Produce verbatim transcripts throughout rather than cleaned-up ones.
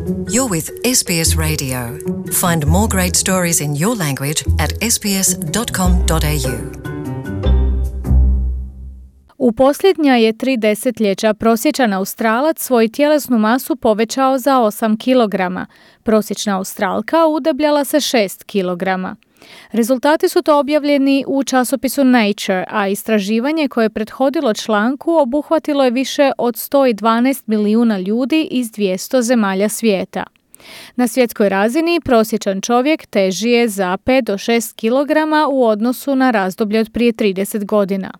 You're with S B S Radio. Find more great stories in your language at s b s dot com dot a u. U posljednja je tri desetljeća prosječan Australac svoju tjelesnu masu povećao za osam kilograma. Prosječna Australka udebljala se šest kilograma. Rezultati su to objavljeni u časopisu Nature, a istraživanje koje je prethodilo članku obuhvatilo je više od sto dvanaest milijuna ljudi iz dvjesto zemalja svijeta. Na svjetskoj razini prosječan čovjek teži je za pet do šest kilograma u odnosu na razdoblje od prije trideset godina.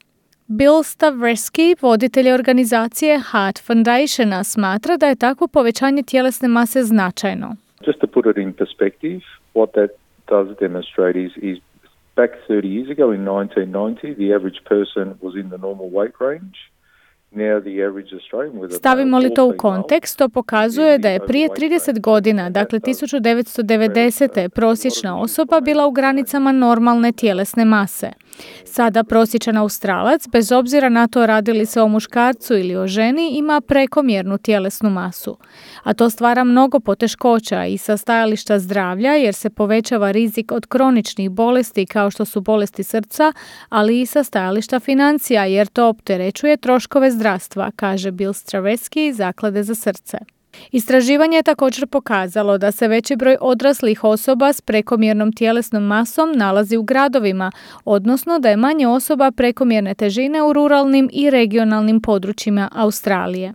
Bill Stavreski, voditelj organizacije Heart Foundationa, smatra da je takvo povećanje tjelesne mase značajno. Just to put it in perspective, what that does demonstrate is, is back thirty years ago in nineteen ninety, the average person was in the normal weight range. Stavimo li to u kontekst, to pokazuje da je prije trideset godina, dakle tisuću devetsto devedesete. prosječna osoba bila u granicama normalne tjelesne mase. Sada prosječan Australac, bez obzira na to radi li se o muškarcu ili o ženi, ima prekomjernu tjelesnu masu. A to stvara mnogo poteškoća i sa stajališta zdravlja, jer se povećava rizik od kroničnih bolesti kao što su bolesti srca, ali i sa stajališta financija, jer to opterećuje troškove zdravstva, kaže Bill Straveski iz Zaklade za srce. Istraživanje je također pokazalo da se veći broj odraslih osoba s prekomjernom tjelesnom masom nalazi u gradovima, odnosno da je manje osoba prekomjerne težine u ruralnim i regionalnim područjima Australije.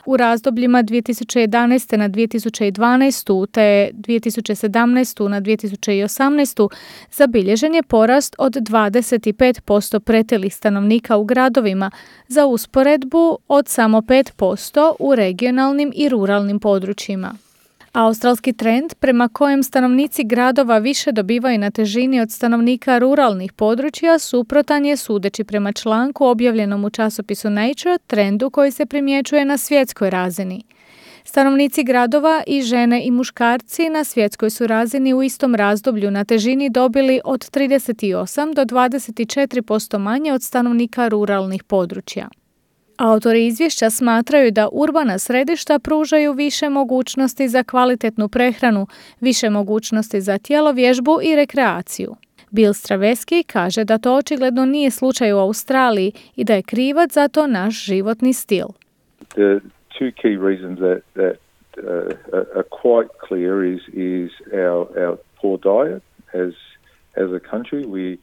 U razdobljima dvije tisuće jedanaeste na dvije tisuće dvanaestu te dvije tisuće sedamnaestu na dvije tisuće osamnaestu zabilježen je porast od dvadeset pet posto pretilih stanovnika u gradovima, za usporedbu od samo pet posto u regionalnim i ruralnim područjima. Australski trend prema kojem stanovnici gradova više dobivaju na težini od stanovnika ruralnih područja suprotan je, sudeći prema članku objavljenom u časopisu Nature, trendu koji se primjećuje na svjetskoj razini. Stanovnici gradova i žene i muškarci na svjetskoj su razini u istom razdoblju na težini dobili od trideset osam do dvadeset četiri posto manje od stanovnika ruralnih područja. Autori izvješća smatraju da urbana središta pružaju više mogućnosti za kvalitetnu prehranu, više mogućnosti za tjelovježbu i rekreaciju. Bill Straveski kaže da to očigledno nije slučaj u Australiji i da je krivac za to naš životni stil. The two key reasons that, that uh, are quite clear is, is our, our poor diet as, as a country. We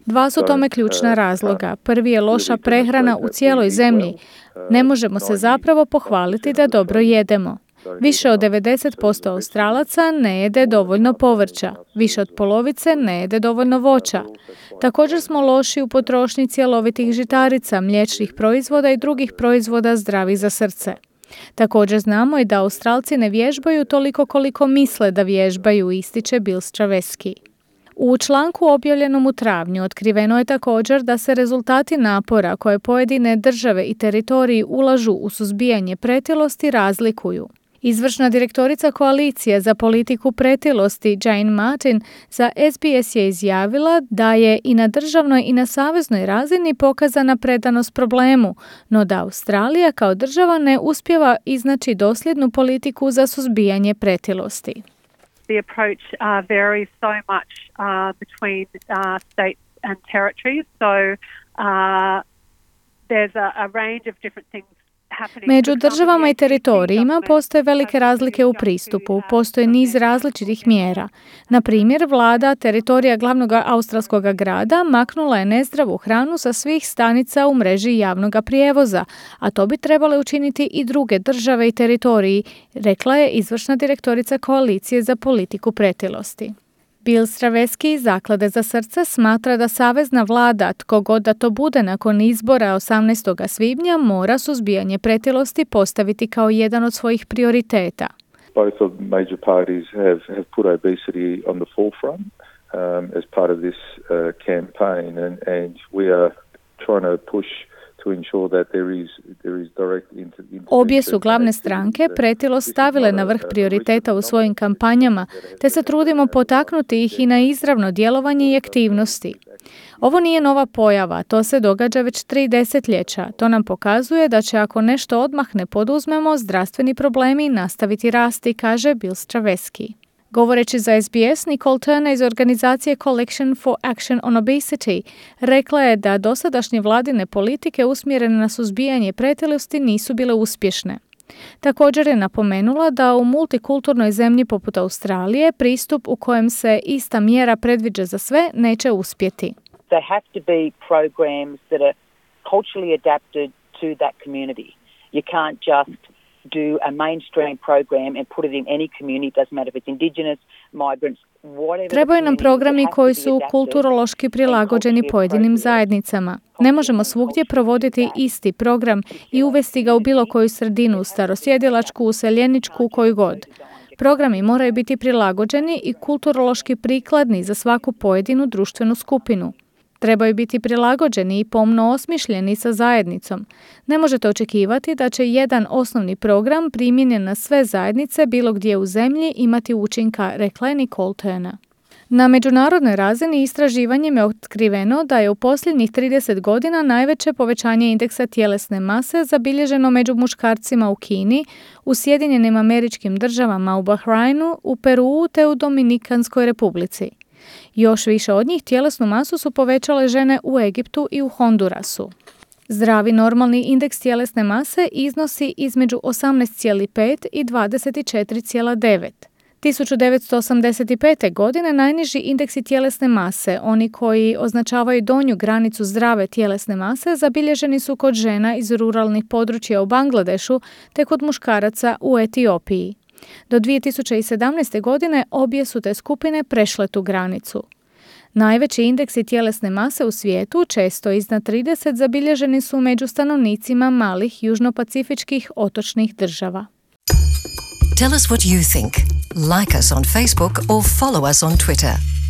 Dva su tome ključna razloga. Prvi je loša prehrana u cijeloj zemlji. Ne možemo se zapravo pohvaliti da dobro jedemo. Više od devedeset posto Australaca ne jede dovoljno povrća. Više od polovice ne jede dovoljno voća. Također smo loši u potrošnji cjelovitih žitarica, mliječnih proizvoda i drugih proizvoda zdravih za srce. Također znamo i da Australci ne vježbaju toliko koliko misle da vježbaju, ističe Bill Straveski. U članku objavljenom u travnju otkriveno je također da se rezultati napora koje pojedine države i teritoriji ulažu u suzbijanje pretilosti razlikuju. Izvršna direktorica Koalicije za politiku pretilosti Jane Martin za S B S je izjavila da je i na državnoj i na saveznoj razini pokazana predanost problemu, no da Australija kao država ne uspijeva iznaći dosljednu politiku za suzbijanje pretilosti. The approach uh, varies so much uh, between uh, states and territories. So uh, there's a, a range of different things. Među državama i teritorijima postoje velike razlike u pristupu, postoje niz različitih mjera. Na primjer, vlada teritorija glavnog australskog grada maknula je nezdravu hranu sa svih stanica u mreži javnog prijevoza, a to bi trebale učiniti i druge države i teritoriji, rekla je izvršna direktorica Koalicije za politiku pretilosti. Bill Straveski iz Zaklade za srce smatra da savezna vlada, tko god da to bude nakon izbora osamnaestog svibnja, mora suzbijanje pretilosti postaviti kao jedan od svojih prioriteta. Both of the major parties have, have put obesity on the forefront um, as part of this uh, campaign, and, and we are trying to push Obje su glavne stranke pretilost stavile na vrh prioriteta u svojim kampanjama, te se trudimo potaknuti ih i na izravno djelovanje i aktivnosti. Ovo nije nova pojava, to se događa već tri desetljeća. To nam pokazuje da će ako nešto odmah ne poduzmemo, zdravstveni problemi nastaviti rasti, kaže Bill Straveski. Govoreći za S B S, Nicole Turner iz organizacije Coalition for Action on Obesity rekla je da dosadašnje vladine politike usmjerene na suzbijanje pretilosti nisu bile uspješne. Također je napomenula da u multikulturnoj zemlji poput Australije pristup u kojem se ista mjera predviđa za sve neće uspjeti. They have to be programs that are culturally adapted to that community. You can't just do a mainstream program and put it in any community, it doesn't matter if it's indigenous, migrants, whatever. Trebaju nam programi koji su kulturološki prilagođeni pojedinim zajednicama. Ne možemo svugdje provoditi isti program i uvesti ga u bilo koju sredinu, starosjedilačku, useljeničku, koju god. Programi moraju biti prilagođeni i kulturološki prikladni za svaku pojedinu društvenu skupinu. Trebaju biti prilagođeni i pomno osmišljeni sa zajednicom. Ne možete očekivati da će jedan osnovni program primijenjen na sve zajednice bilo gdje u zemlji imati učinka, rekla je Nicole Turner. Na međunarodnoj razini istraživanjem je otkriveno da je u posljednjih trideset godina najveće povećanje indeksa tjelesne mase zabilježeno među muškarcima u Kini, u Sjedinjenim Američkim Državama, u Bahrajnu, u Peruu te u Dominikanskoj Republici. Još više od njih tjelesnu masu su povećale žene u Egiptu i u Hondurasu. Zdravi normalni indeks tjelesne mase iznosi između osamnaest zarez pet i dvadeset četiri zarez devet. tisuću devetsto osamdeset pete. godine najniži indeksi tjelesne mase, oni koji označavaju donju granicu zdrave tjelesne mase, zabilježeni su kod žena iz ruralnih područja u Bangladešu te kod muškaraca u Etiopiji. Do dvije tisuće sedamnaeste. godine obje su te skupine prešle tu granicu. Najveći indeksi tjelesne mase u svijetu, često iznad trideset, zabilježeni su među stanovnicima malih južnopacifičkih otočnih država. Tell us what you think. Like us on Facebook or follow us on Twitter.